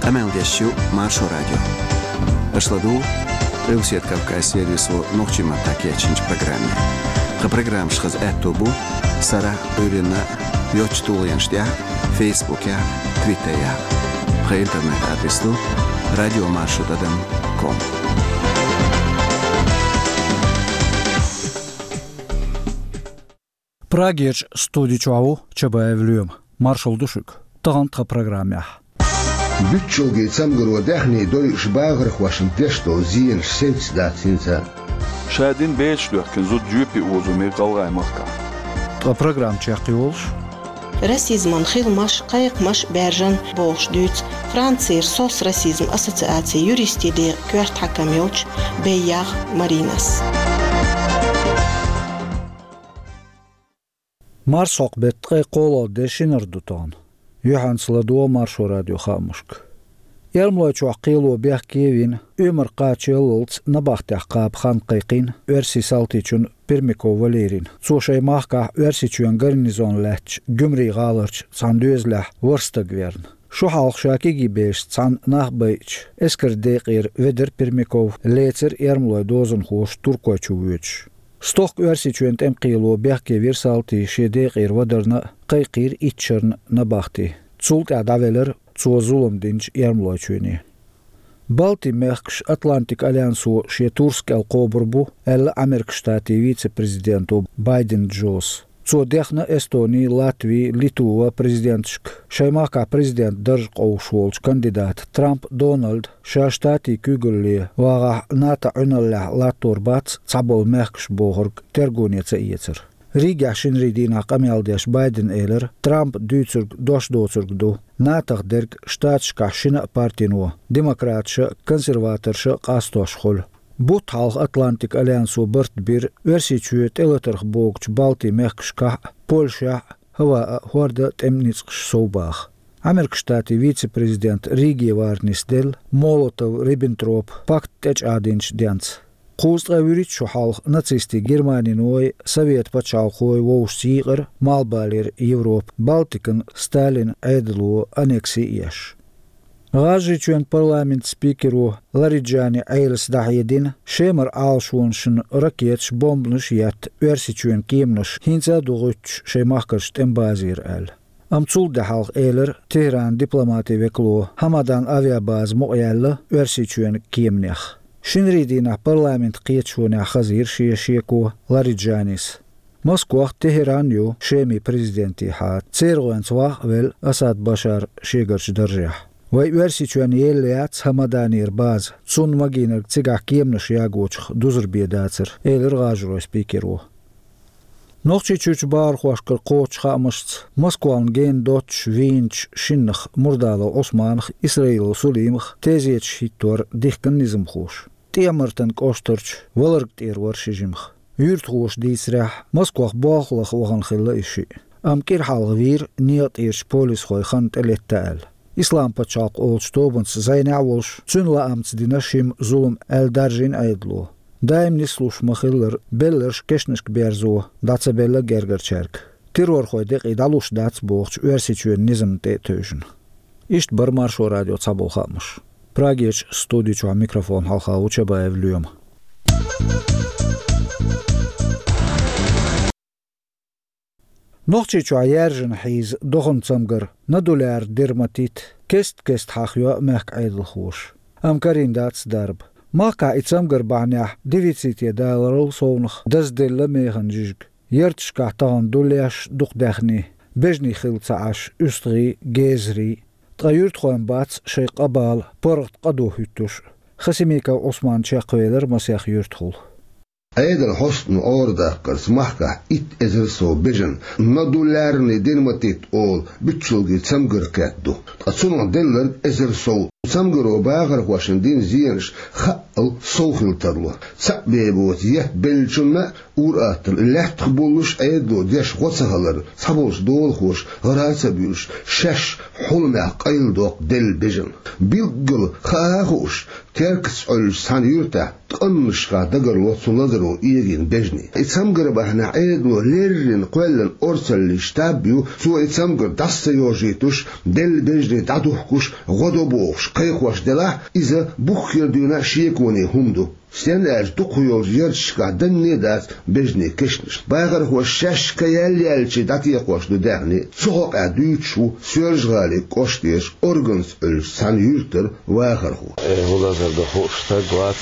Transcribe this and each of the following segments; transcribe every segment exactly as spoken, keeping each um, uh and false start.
Къамел деш ю Маршо радио. Аша ладугӀу Къилбаседа Кавказан сервисо нохчийн маттахь кечйинчу программе. Тхан программаш хаза аьтто бу сарахь а, Ӏуьйранна а йоцчу тулгӀенаш тӀехь а, Фейсбукехь а, Твиттерехь а. Тхан интернет-адрес ду радиомаршо тӀадам ком. Прагерчу студи чохь ву Чабаев Лоьма. Маршалла ду шуьга. Тахана тхан программехь. Буьтчалгий цамгаро даьхни дойуш бахархошна деш долу зенаш сецна дац хӀинца. Ша дина бецаш доьхкина зуда жоьпе озо мега ГӀалгӀайн махкахь. Тхан программа чекхйолуш. Расизман хиламаш, кхайкхамаш баьржина бохуш дуьйцу Францера сос расизм ассоциацин юристийн декъан коьрта хьаькам йолчу Бейягъ Маринас. Марсхьокху беттан ткъе кхоалгӀа де, шинара ду тахана. Юьхьанца ладогӀа Маршо радион хаамашка. Эрмалойчохь кхело бехке а вина, оьмар кхачаяллалц набахтехь кхаба хан кхайкхийна оьрсийн салтичунна Пермяков Валерийна. Цо шайн махкахь Оьрсийчоьнан гарнизон лаьттачу Гуьмрин гӀаларчу цхьана доьзалехь ворхӀ стаг верна. Шу хьалха ша кегий бешца цхьаьна нах байъича, эскаран декъера ведара Пермяков, лецира эрмалойн дозанхоша Туркойчу воьдуш. Стохка Оьрсийчоьнан тӀеман кхело бехке вира салтий шен декъера вадарна а, кхайкхийра итт шарна набахти. Цул тӀаьхьа дӀавелира цо зулам динчу Эрмалойчоьне. Балтийн мехкаш Атлантикан альянсо шен турс кӀел кхобур бу, аьлла Ӏамеркан Штатийн вице-президенто Байден Джос. Цо дехна Эстони, Латви, Литва президенташка шайн махкахь президентан дарж къовсуш волчу кандидата Трамп Дональда, ша штатийн куьйгалле вагӀахь, НАТО-н Ӏуьналлехь латтор бац цхьаболу мехкаш бохург тергоне ца эцар. Ригехь шинарийн дийнахь къамел деш Байдена элира, Трампа дуьйцург дош доцург ду, НАТО-х дерг штаташкахь шина а партино, демократаша а, консерваторша а къастош хуьлу. Бутт хьалха Атлантикан альянсо барт бира Оьрсийчоь тӀелатарх богучу Балтийн мехкашкахь а, Польшехь а, хӀаваъ а, хӀорда а тӀеман ницкъаш сов баха. Ӏамеркан Штатийн вице-президент Риге вар нисделла Молотов-Риббентропа пакт тӀечӀагӀдинчу денца. Кхузткъе вуьрхӀитта шо хьалха нацистийн Германиной, Совет пачхьалкхой вовшашца йийкъира малхбалера Европа, Балтикан Сталинан Ӏедало аннекси а еш. ГӀажарийчоьнан парламентан спикеро Лариджани Ӏелас дӀахьедина, Шемара Ӏалашонашна ракеташ, бомбанаш а етта, Оьрсийчоьнан кеманаш хӀинца а ду гӀуьттуш шайн махкарчу тӀеман базера аьлла. Амма цул де хьалха элира Тегеранан дипломатин векало, Хьамадан авиабаза мукъаяьлла Оьрсийчоьнан кеманех. Шинарийн дийнахь парламентан кхеташонехь хазийра шен шеко Лариджанис. Москох Тегеран ю Шеман президентехьа, церан гӀоьнца ваха а велла Асад Башар шегарчу даржехь. Вай Оьрсийчоьнна елла яц Хьамаданера база, цунна магийнарг цигахь кеманаш ягочух дузар бен дацара, элира гӀажаройн спикеро. Нохчийчуьрчу бахархошкара кхочучу хаамашца, Москвана гена доццуш вийначу шиннах, Мурдалов Ӏусманах, Исраилов Сулимах, тезеташ хӀиттор дихкина низамхоша. ТӀехьа-Мартан кӀоштарчу Валарг тӀера вара ши жимах. Юьртахоша дийцарехь, Москвах болх лаха вахана хилла и шиъ. Амма кӀира хьалха вийра некъа тӀерачу полисхойн хан тӀелетта аьлла. Ислам-пачхьалкх олучу тобанца зӀенехь а волуш, цуьнан лаамца дина шимма зулам аьлла даржийна Ӏедало. Даим нислуш ма-хиллара, белларш кешнашка берзо, дӀа ца белла гергарчаьрга. Террорхойн декъий дӀалуш дац бохучу Оьрсийчоьнан низамна тӀе а тевжина. Иштта бара Маршо радион цхьаболу хаамаш. Прагерчу студи чохь микрофон хьалха ву Чабаев Лоьма. Нохчийчохь яьржина хьийза доханан цамгар, нодулярный дерматит, кест-кеста хьахайо мехкан Ӏедалхоша. Амма карийна дац дарба. Махкахь и цамгар бахьанехь дефиците даларал совнаха дазделла механа жижиг. Ярташкахь тахана дуллеш дукха даьхни, бежаний хилла ца Ӏаш, уьстагӀий, гезарий. Ткъа юьртахойн бац шайн къа-бала, паргӀат къа ду хӀуьттуш. Хасимиков Ӏусман чекхвелира масех юьртахула. Ӏедалан хьостано Ӏорадаккхарца махкахь итт эзар сов бежана нодулярный дерматит олу буьтчалгий цамгар кхетта ду. Ткъа цунах делларг эзар сов. Цамгаро бахархошна дина зенаш хаъал сов хила тарло. Цхьаъ бен боцу етт беллачунна а, ур-атталла лаьттах боллуш а Ӏедало деш гӀо ца хилар цхьаболчу долахоша гӀара а ца буьйлуш, шаьш хьуламехь къайладоккху делла бежана. Билггала хаа а хууш, Теркаца Ӏуьллучу цхьана юьртахь ткъаннашха дагарло цу лазаро эгийна бежаний. И цамгар бахьанехь Ӏедало леррина кхоьллина орцаллин штаб ю, цо и цамгар дӀаса ца йожийтуш, делла бежаний дӀадухкуш, гӀо до бохуш, кхайкхош делахь, иза бух хир дуьйна шеконе хӀума ду. Стенна аьлча, дукхахйолчу ярташкахь данне а дац бежанийн кешнаш. Бахархоша шаьш кхайкхаелча дӀатекхош ду даьхни. Цу хьокъехь дуьйцуш ву Соьлжа-ГӀалин кӀоштера Органца Ӏуьллучу цхьана юьртара вахархо. Э, хӀун лазар ду хууш стаг вац,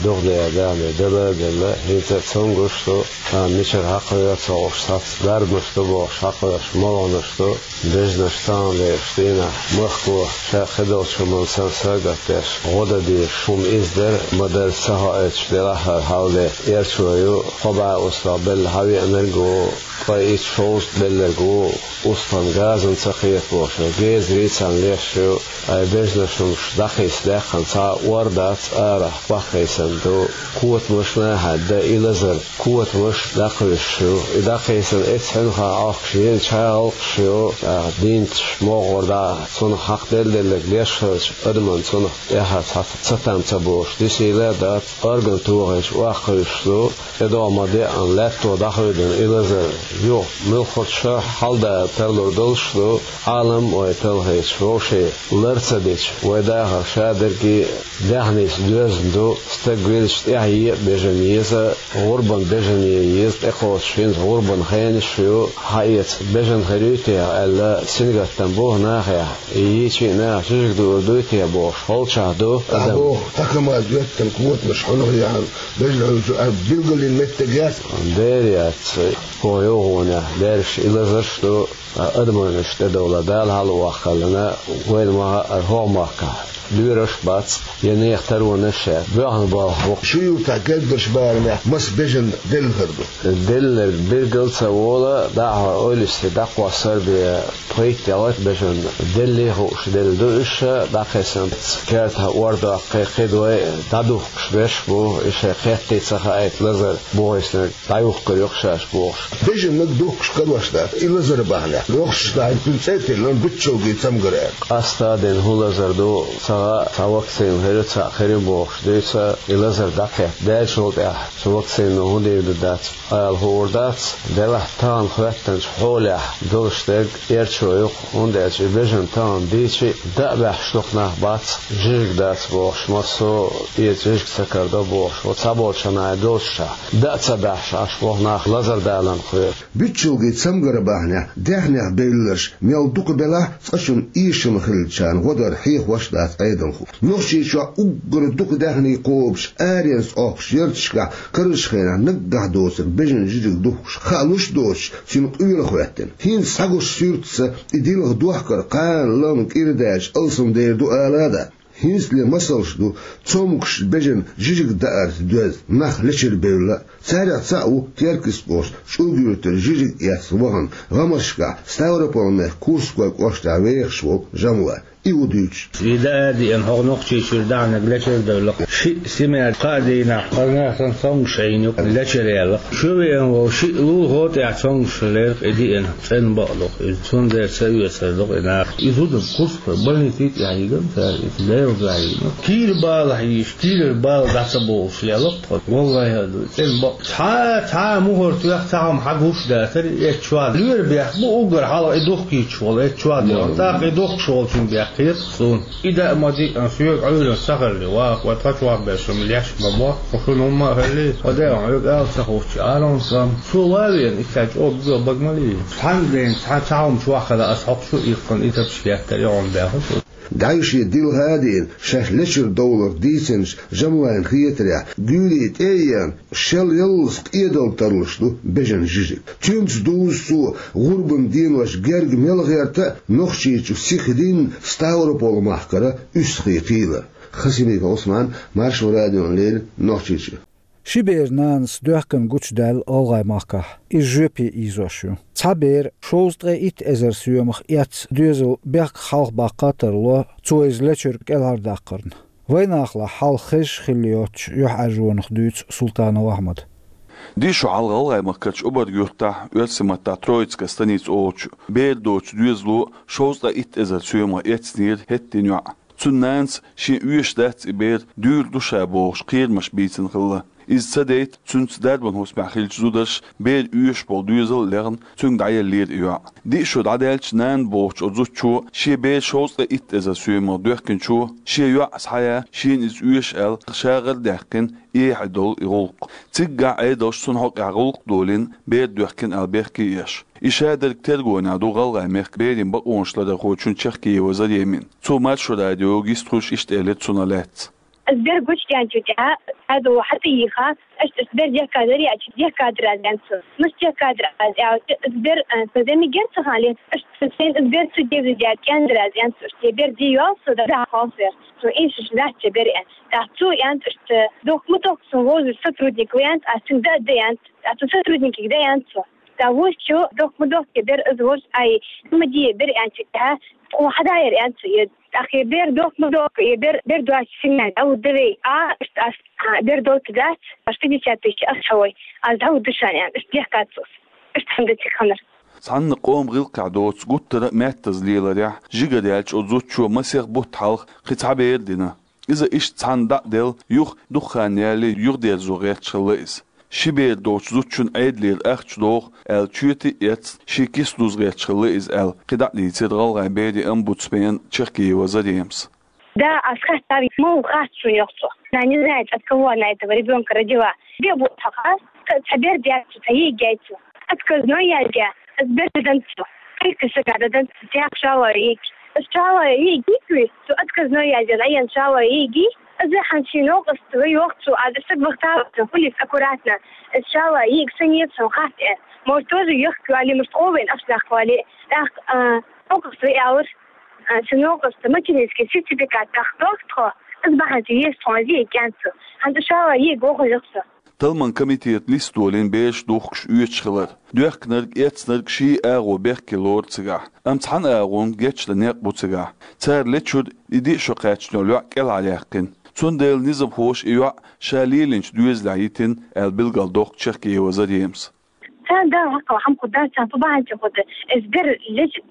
духадаьлла даьхни дала а делла, хӀинца а цомгуш ду, царна мичара хьакхавер ца хууш, цхьацца дарбанаш ду бохуш хьакхоьруш молханаш ду. Бежанаш тахана дерш дийнахь махко ша кхидолчу хӀуманна санна сагатдеш, гӀо дан дезаш хӀума иза дара, ма-дарра ца хоуьйтуш делахь а хьал де, эрчо ю, кхо бӀе устагӀа белла хьавеанарг а ву, ткъе итт-шовзткъа белларг а ву, устагӀан газана ца кхета бохуш, гезарий царна леш ю, ай бежанаш хӀумаш дӀакхийса даьккхина цхьа а ор дац, арахь баккхийсина ду, котамаш нахьа дан и лазар. Котамаш дӀакхуьйсуш ю. И дӀакхийсина эццахь хьуьнхахь Ӏохкуш елла чӀагӀ гӀуллакхаш ю. ТӀаккха дийнаташ могӀара дӀа цунах хьакхаделла-делларг леш хилча, адамна цунах тӀаьхьа цхьа цатам ца болуш дисийла а дац. Орган тохийча охьакхуьйсуш ду. ТӀедогӀу ма-деъана лаьтто дӀахуьйдина и лазар юха муьлххачу шарахь хьалдала тарлур долуш ду. Ӏалам а вай талхийча, вовшийн лар ца дича, вай дахар шадерриге а даьхница доьзна ду, стаг велча тӀаьхьа е а бежана еза, гӀурбан бежане еза, тӀекхочуш хӀинца гӀурбан хенаш а ю, хьаэца бежана хир юй техьа аьлла, сингаттам бу нахехь, и йийча а наха жижиг дуур дуй техьа бохуш, холчахь ду адам. Боху, тхан КамАЗ йоьттина котамаш хьунах яхьана, бежана хьуьйсу, ара билгалйина меттиг яц. Дера яц, кхо йовхонехь даьржаш и лазарш а ду. Ткъа адамашна тӀедовла Дала хьалаваккхаллина, вайна ма-хаъара хӀокху махкахь лоьраш а бац, я нехан таронаш а, боьхна болх бу. Шун юьртахь герггарчу барамехь маса бежан делла хир ду? Делларг билгал а ца волу, дӀахьо ойлисте дӀакхоссар а бен, пхийтта-ялхитта бежан деллий хууш делла ду уьш, дӀакхийсинарш кертахь ор доккхий, кхидой дӀадухкуш берш а бу, и шайн кхеттий ца хаийта лазар бухийснарг дӀаюхкур ю-кх шаьш бохуш. Бежанниг духкуш карош дац, и лазар бахьанехь. Нохчашна хӀинца цӀе а тиллина, биччалгий цамгар аьлла. Къаста а дина хӀун лазар ду, ца хаьа, цхьа вакцина хир ю, цхьаъ хир ю бохуш дуьйцу, и лазар дӀакхетта даьллачул тӀаьхьа цу вакцино хӀун дийр ду дац ала хуур дац. Делахь тахана хӀоьттинчу хьолехь долуш дерг эрчо ю-кх, хӀунда аьлча и бежан тахана дийча а, даа баьхьаш дукха нах бац, жижиг дац бохуш, массо а эца жижиг ца карадо бохуш, ву цхьаболчу хӀуманна долчушехь, даа ца баьхьаш Ӏаш боху нах лазар даларна кхоьру. Биччалгий цамгар бахьанехь даьхнех бевлларш мел дукха белахь а, цкъачунна эшам хиллачарна гӀо дар хьехош а дац Ӏедалхо. Нохчийчохь уггар дукха даьхни кхобуш, аренца Ӏохкучу ярташкахь карарчу хенахь наггахь доцург бежан жижиг духкуш хаалуш а доцуш, цуьнан къоьлла хӀоьттина. ХӀинца схьагуш суьртаца и дилха дохкар кхана лама кӀира даьлча алсамдер ду ала а дац. ХӀинцале масалш ду цомгуш бежан жижиг даарца доьзна нах лечуьра бевлла а. Царех цхьаъ ву Теркйист кӀоштан ЧӀулга-Юьртара жижиг эцна вахана, гӀамашкахь Ставрополь-мехкан Курской кӀоштахь вехаш волу Жамлай. И ву дуьйцуш. И даа а деана, хӀокху Нохчийчуьра даьхниг лечуьра девлла-кх. Шиъ семья кхаа дийнахь, хазна сан цомгуш Ӏийна ю-кх, лечуьра яьлла-кх. Чу веана волу шиъ лулахо тӀехь цомгуш хилира-кх и деана. ЦӀена бакъ ду-кх иза. Цундела ца оьцур ду-кх и наха. И зуда курс больници тӀехь йигна цара иза, Делан дуьхьа йигна. Кийра балахь йийш, кийрара бала дӀа ца бовлуш лела-кх тхо. Валлахьи а ду, цӀена бакъ. Цхьа, цхьа а мухӀар тоьхна, цхьа хӀума хьагуш а дацара, и эцча чохь лоьра бехк бу, уггар хьалха и духкуьйтуш волу эцча чохь дерг. ТӀаккха и духкуш волчун бехк хета-кх суна. И даа ма-диъана соьга Ӏуьйранна ца хилли, ваха, вай тхан чохь берш-м леш ма бо, тхо шуна хӀумма а хилли, тхо даа хьоьга ала ца хууш, Ӏалам сан. Цо ван а веана, и цхьа чӀогӀа бага ма лийна. Цхьана ден цхьа цхьа хӀума чохь хилла ас хьокху шу иккхина, и тапча кеттара, и хьуна баьхна шу. ДӀаьвше дилха а деана, шаьш лечуьра довларх дийцинчу Жамлайна хетарехь, гуьйре тӀе а еана, шел яллалц къедалла тарлуш ду бежан жижиг. Цуьнца дузу цо гӀурбан денош герга мел гӀерта а, Нохчийчу сиха динна Ставрополь-махкара УьстагӀий кхийлар. Хасимиков Ӏусман, Маршо радиона леррина, Нохчийчуьра. Ши бер нанас доьхкина гучудаьлла ГӀалгӀай махкахь, иза жоьпе ийзош ю. Цхьа бер шовзткъе итт эзар соьмах эцна доьзал бехках хьалха баккха а тарло, цо иза лечуьра кӀелхьардаккхарна. Вайнахалахь хьал хезаш хилла йоцучу юьхьӀаьржонах дуьйцу Султанов Ахьмада. Дийшо хьалха ГӀалгӀай махкарчу Обарг-Юьртахь, оьрсийн маттахь Троицкая станица олучу, бер доцучу доьзало шовзткъе итт эзар соьмах эцнера хӀеттина йоӀ. Цуьнан нанас шен оьшуш дац и бер, дуьйр ду ша бохуш, кхерамаш бийцина хилла. Иза ца дайта, цуьнца дарбан хӀусамехь хиллачу зударша бер оьшуш болу доьзал а лехна, цуьнга дӀаеллера и йоӀ. Диъ шо дӀадаьлча, нана бохучу оцу зудчо шен бер шовзткъе итт эзар соьмах доьхкинчо, шен йоӀ схьаяь, шена иза оьшу аьлла, ша гӀара даьккхина эхь долу и гӀуллакх. Циггахь Ӏедалша цунна хьокъехь гӀуллакх долийна, бер доьхкина аьлла бехке а еш. И шадерг тергонехь ду ГӀалгӀайн мехкан берийн бакъонаш ларъярхочун Чехкиева Заремин. Цо Маршо радиога йистхуьлуш иштта элира цунах лаьцна. Ас бер гучудаьллачул тӀаьхьа, цхьаьна хьатӀаийха, аша ас бер дехкадар яьлча, дехкадар аз, аьлла цо. Мис дехкадар аз аьлча, ас бер, а, со зӀамига яра цу хенахь, аша сайн ас бер ца девза даьлча, кӀентдар аз, аьлла цо. Аша бер де йолу со, да, да, хьо фер. Со эшаш дац цу бер, аьлла. ТӀаккха цо, аьлла, аша дохка ма дохка, сан возу сотрудник ву, аьлла, ас цуьнга да а да, аьлла. ТӀаккха цу сотрудникега да, аьлла цо. ТӀаккха вуьйцучо, дохка ма дохка, бер ас вожа, ай, ма де, бер, аьлча, тӀаьхьа, тхо хьадаяр, аьлла цо, е. ТӀаккха и бер дохка ма дохка, и бер, бер доцчу синнехь дӀавуьгу вай. А, аша ас, а, бер долчу дац, аш пятьдесят тысяч ас хьавой. Ас дӀавуьгу шайна, аьлла, аш дехкад цо. Аш цхьаьна дациг ханар. Цхьанна къоман гӀиллакхехь доцу гуттара а маьттаза леларехь, жигара яьлча оцу зудчо масех бутт хьалха кхин цхьа бер дина. Иза иштта цхьаьна дӀа а делла, юха дукха хан ялале юхадерзо гӀерташ хилла иза. Ши бер долчу зудчунна Ӏедалера ахча доху аьлла, чоьте а эцна, шен киса дуза гӀерташ хилла иза аьлла, кхин дӀа а дийцира ГӀалгӀайн берийн омбудсмена Чехкиева Заремас. Да, ас хаьттира, муха хаьттира шуна, йоах цо. Она не знает, от кого она этого ребёнка родила. Де бу хьаха, ца, ца бер дяцу, ца йига яйцу. Отказной яьлча, ас бер дан цо. Кхайкхи сага дан цо, тӀаккха шала йига. Ас шала йига йига, цо отказной яьлча, ас шала йига. Ас хьан ши новкъост вай, йоах цо, ас саг вахталца, хӀунда аккуратно. Ас шала йига, сан еза сан хатта. Может, тоже йохка вали, может, къовен аш нах вали. ТӀаккха, а, новкъост вай аьлла, а, сан новкъоста материнский сертификат тӀаккха дохку тхо. Ас бахьана ца еза тхо, зи кӀанцу. ХӀанз ас шала йига воху йоах цо. Талламан комитета листа долийна бераш духкуш оьцуш хилар. Доьхкинарг, эцнарг ший агӀо бехке лору цигахь. Амма цхьана агӀонга гечдан некъ бу цигахь. Цара лечуьра и диъ шо кхаьчна йолу йоӀ кӀелхьараяьккхина. Цундела низамхоша и йоӀ ша лелийначу доьзалехь йитина, аьлла билгалдоккху Чехкиева Заремас. Царна Дала хьакхал хьан кху дац, царна ту бахьанча хӀу ду. Эс бер леч-,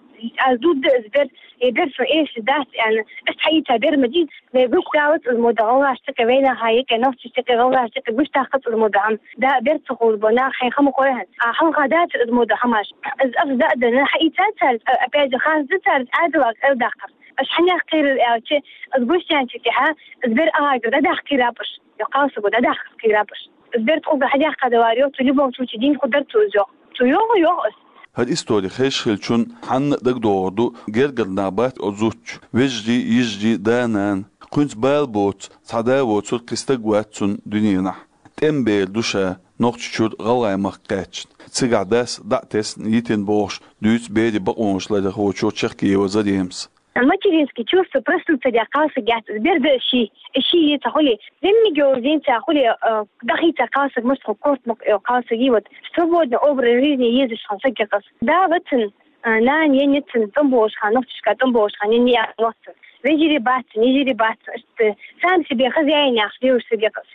аз дудда эс бер, э, бер со эшли дац, аьлла. Ас хьаийца бер ма дий, вай гуш далац из мода гӀалгӀаш тӀекъе, вайнаха йекъе, нохчаш тӀекъе, гӀалгӀаш тӀекъе гуш дахкац из мода хьама. Да, бер ца хулбо, нах хьайн хама хойхьан. А хьалха дац из мода хьамаш. Из аф да а дана, хьаийца царца, а, опять же, хас да царца, Ӏадалах эл дахкар. Аш хьанех кхийрар аьлча, из гуш янча тӀехьа, из бер агӀагар дӀадахка кхийраб аш. Йо, кхалсаго дӀадахка кхийраб аш. Из бер тхуга хьадехка далар йо, цу любом случае дин ху дар цу из йо. Цу йо, йо ас. ХӀара истори хезаш хилчун хьанна а дагадогӀур ду, гергара нах бац оцу зудчун, вежарий, йижарий, да-нана. Кхуьнца бала боцу цхьа да воцург кхин стаг вац цунна дуьненахь. ТӀеман бер ду ша, Нохчийчуьра ГӀалгӀай-махка кхаьчна. Цигахь дас дӀа а тесна йитина бохуш, дуьйцу берийн бакъонаш ларъярхочо Чехкиева Заремас. Материнские чувства проснуться деш кхалсаг яц, бер да ши, ши йица хуьли. Зимнигео зинца хуьли, э, дахийца кхалсаг, муьстхо кортмакъ йо кхалсаг, и вот свободный образ жизни езаш хан сагикъас. Да вацан, э, нана енницан, тӀом бохуш хан, нохчашка тӀом бохуш хан, енни яхлоцан. Вежарий бацан, йижарий бацан, ишта сам себе хозяин яхаш девушка сагикъас.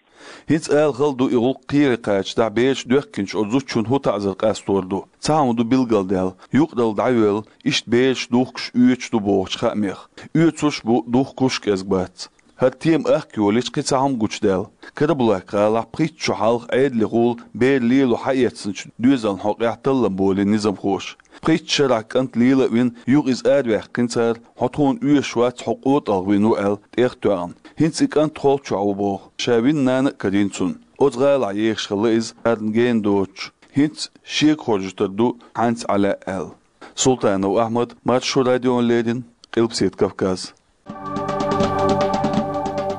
ХӀинца ала хала ду и гӀуллакх кхере кхача дахь бераш доьхкинчу оцу зудчун хӀун таӀзар къастор ду. Цхьа хӀума ду билгалдаьлла, юкъаралла дӀайоьлла, иштта бераш духкуш оьцуш ду бохучу хаамех. Оьцуш бу, духкуш кӀезга бац. ХӀара тема ахка йолийча кхин цхьа хӀума гучудаьлла. Карабулак-гӀалахь пхийтта шо хьалха Ӏедалехула бер лело хьаэцначу доьзална хьокъехь таллам болийна низамхоша. Пхийтта шарахь кӀант лела а вина, юха иза араваьккхина цара, хьо тхуна оьшуш вац, хьо къотӀалгӀа вина ву аьлла, тӀех а тоьхна. ХӀинца и кӀант холчохь ву боху, ша вина нана а карийна цунна. Оцу гӀалахь ехаш хилла иза, арна гена доцуш. ХӀинца шега хоржуьйтур ду, хьанца Ӏа лаьа аьлла. Султанов Ахьмад, Маршо радиона леррина, Къилбаседа Кавказ.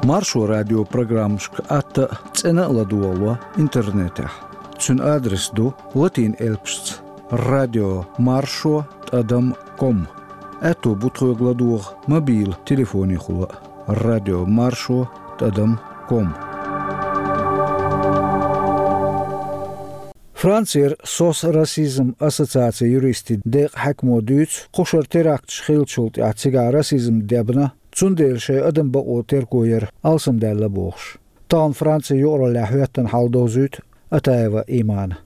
Маршо радион программашка атта а, цӀена а ладогӀало интернетехь. Цуьнан адрес ду латин элпашца: радио маршо тӀадам ком. Аьтто бу тхоьга ладогӀа мобил телефонехула а: радио маршо тӀадам ком. Францера СОС расизм ассоциацин юристийн декъан хьаькамо дуьйцу, кхушара теракташ хиллачул тӀаьхьа цигахь расизм дебна, цундела шайн адам бакъо терго яр алсамдаьлла бохуш. Тахана Францин юкъараллехь хӀоьттина хьал довзуьйту Атаева Имана.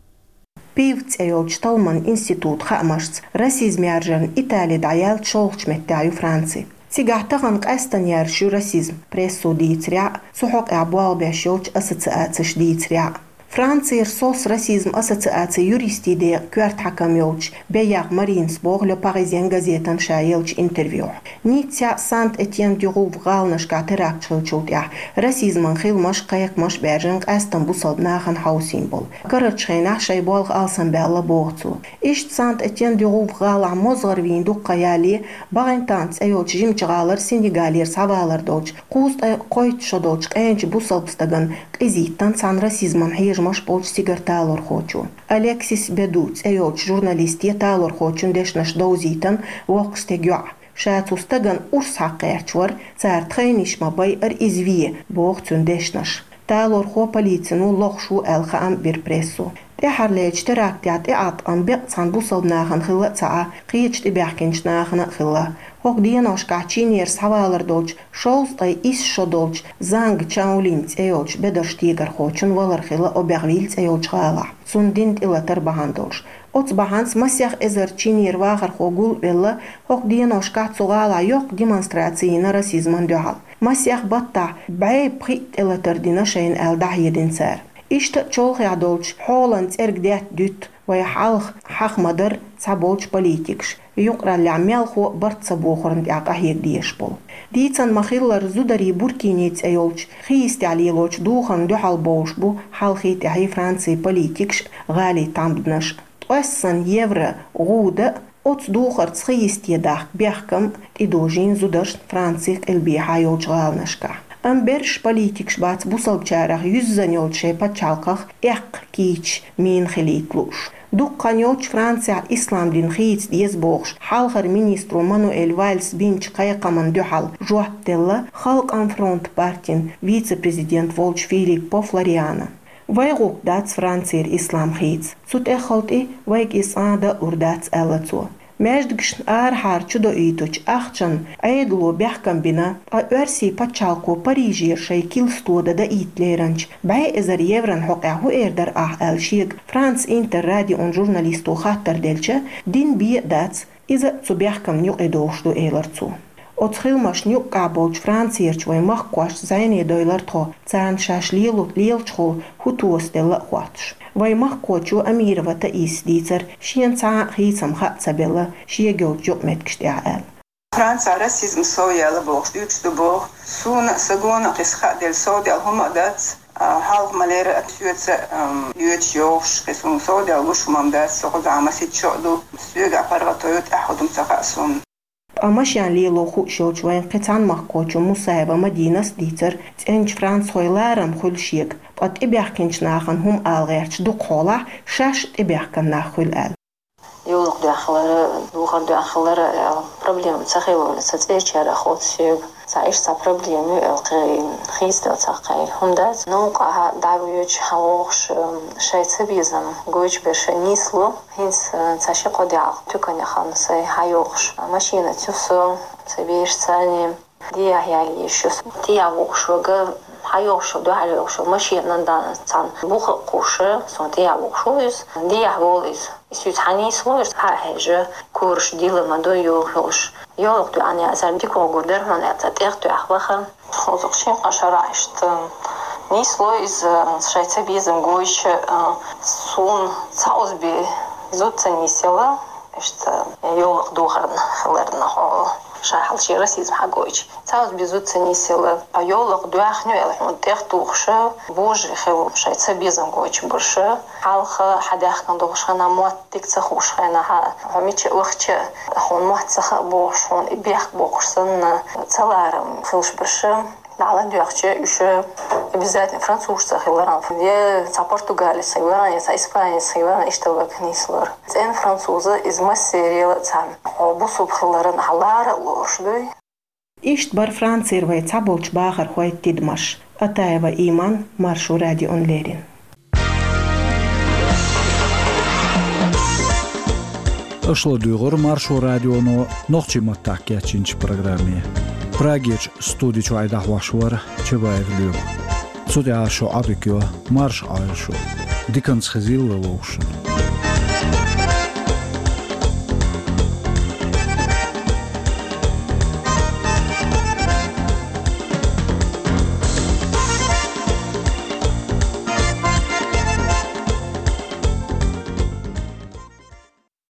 Пив цӀе йолчу талламан институтан хаамашца, расизм яржарна Итали дӀаяьллачу шолгӀачу меттехь ю Франци. Цигахь тахана къаьстина яьржаш ю расизм, прессо дийцарехь а, цу хьокъехь болх беш йолчу ассоциацеша дийцарехь а. Францера СОС, расизм ассоциацин юристийн декъан коьрта хьаькам йолчу Беяр Маринас боху Le Parisien газетана ша еллачу интервьюхь. Ниццехь, Сент-Этьен-дю-Гув гӀаланашкахь теракташ хиллачул тӀаьхьа расизман хиламаш, кхайкхамаш баьржина къаьсттина бусалба нахана хьовсийна болу. Карарчу хенахь шайн болх алсамбаьлла, боху цо. Иштта Сент-Этьен-дю-Гув гӀалахь мозгӀар вийна дуккха ялале, БагӀентан цӀе йолчу жимачу гӀалара Сенегалера схьавалар долчу кхузткъе кхойтта шо долчу къеначу бусалба стагана къизийтина цхьана расизман хьежамаш болчу цигара талорхочо. Алексис Беду цӀе йолчу журналисте талорхочун дешнаш довзийтина воккхачу стеган йоӀа. Ша цу стагана урс хьакха гӀерташ вара, цара тхайниш ма байъара иза вен, боху цуьнан дешнаш. Талорхо полицино лохуш ву аьлла хаам бира прессо. ТӀаьххьарлерчу терактехь тӀеӀаткъам беккъа цхьана бусалба нахана хилла а ца Ӏа, кхечу тӀебаьхкинчу нахана а хилла. ХӀокху деношкахь чинера схьавалар долчу шовзткъе исс шо долчу Занг Чаолинь цӀе йолчу бедарш тегорхочун валар хилла Обервиль цӀе йолчу гӀалахь, цунна дина тӀелатар бахьана долуш. Оцу бахьанца масех эзар чинера вахархо гул а велла, хӀокху деношкахь цу гӀалахь йоккха демонстраци йина расизман дуьхьал. Масех баттахь бӀе пхиъ тӀелатар дина шайна аьлла дӀахьедина цара. Иштта а чолхе долчу хьолан цӀерга детта дуьту вай хьалха хьаха ма-дарра цхьаболчу политикаш, юкъараллехь мелхо а барт ца бохурна тӀехь къахьега дезаш болу. Дийцина ма-хиллара, зударий Буркини цӀе йолчу хи йистехь лелочу духарна дуьхьал бовлуш бу хьалхий тӀаьхьий Францин политикаш а, гӀалин тхьамданаш а. Ткъоьссан евро гӀуда а, оцу духарца хи йисте дахка бехкам а тӀедожийна зударшна Францин къилбехьа йолчу гӀаланашкахь. Амма берриш политикаш бац бусалбачарах юьззина йолчу шайн пачхьалкхах эккха кийча мина хилийта лууш. Дукха хан йоццуш Францехь ислам дин хийца деза бохуш, хьалхара министро Мануэль Вальс бинчу кхайкхамна дуьхьал жоп делла Халкъан фронт партин вице-президент волчу Филиппо Флориано. Вай гӀуллакх дац Францера ислам хийца. Цу тӀеххьалти вайга иза цкъа а даа лур дац, аьлла цо. Маьждигашна арахьара чудоуьйтучу ахчанна Ӏедало бехкам бина, ткъа Оьрсийн пачхьалкхо Парижера шайн килсто дан даийта леринчу бӀе эзар еврон хьокъехь хӀун эр дара ахь аьлла шега Франц Интер радион журналисто хаттар делча, дина бен а дац, иза цу бехкамна юкъа довш ду, элира цо. Оцу хиламашна юккъехь болчу Францерчу вайн махкахошца зӀене дойлура тхо, царна шаьш лелу-, лелачухула хӀун тосаделла а хоттуш. Вайн махкахочо Амирова Таисас дийцира, шена цхьа а хийцам хаа ца белла шега йолчу юкъаметтигаш тӀехь аьлла. Францехь расизм сов яьлла бохуш дуьйцуш ду боху. Суна а, сан гонах иза хааделла, совдаьлла хӀума а дац, а, хьалха ма-лерра а соьца, ам, йоьдуш йогӀуш, кхин суна совдаьлла гуш хӀума-м дац, со кхузахь масийтта шо а ду, соьгахь паргӀато ю, тӀаьхьа хӀун ду-м ца хаьа суна. Ткъа машен лело хууш йолчу вайн кхин цхьана махкахочо Мусаева Мадинас дийцира, цӀеначу францхойн ларам хуьлу шега, ткъа тӀебаьхкинчу нахана хӀума ала гӀерташ дукха хьолахь, шаьш а тӀебаьхкина нах хуьлу аьлла. Йовлакх доьхна хилар, духар доьхна хилар аьлла проблема ца хилла, сан цӀерачара хотту соьга. Цхьа иштта цхьа проблема ю аьлла, кхин хийцаделла цхьа кхин хӀума дац. Новкъахь дӀавоьдуш, хьан вогӀуш, шайн цабезам гойтуш берш нисло. ХӀинца, э, цхьа ши-кхо де Ӏа туьканехь хилла сайн хьайогӀуш машинаца ю со, сан бераш царна. Дехьа яьлла йиш ю. Дехьа вогӀуш верг, хьайогӀуш, дуьхьал йогӀуш машинан дан цхьана буха а кхуьссуш, суна тӀехьа вогӀуш ву иза. Дехьа волу иза. И соьца хьан нисло, иза хьа а хьежа, кораш дилла ма ду, йохуш. Йовлакх доьхна яцара дика гӀур дара хьуна аьлла, цхьа тӀех тоьхна ваха. Кхузахь шина-кхаа шарахь иштта нисло иза, шайн цабезам гойтуш, суна цхьа озбе зуда ца нисъелла, иштта йовлакх духарна хиларна хьо ша хьалчера расизм хьагойтуш. Цхьа озбе зуда ца нисъелла, йовлакх доьхна ю аьлла хьуна тӀех тухуш, божарий хилла шайн цабезам гойтуш берш, хьалха хьан даьхкина долуш хенахь мотт дика ца хууш хенахь, хьо мича а вахча, хьуна мотт ца хаьа бохуш, хьуна и бехк боккхуш санна, цаларам хилла берш. ДӀа ладоьгӀча, уьш обязательно французца хиларан, я цхьа португалец хиларан, я цхьа испанец хиларан, иштта верг нислора. ЦӀена француз иза массеран а цхьаьна. Хьо бусулба хиларан хьан лара а лоруш дуй? Иштта бара Францера вайн цхьаболчу бахархойн тидамаш. Атаева Иман, Маршо радиона леррина. Аша ладуьйгӀура Маршо радионо нохчийн маттахь кечйинчу программе. Прагерчу студи чуьра дӀахьош вара Чабаев Лоьма. Цу тӀехь шун Ӏодика йо, марша Ӏойла шу. Диканца хезийла вовшашна.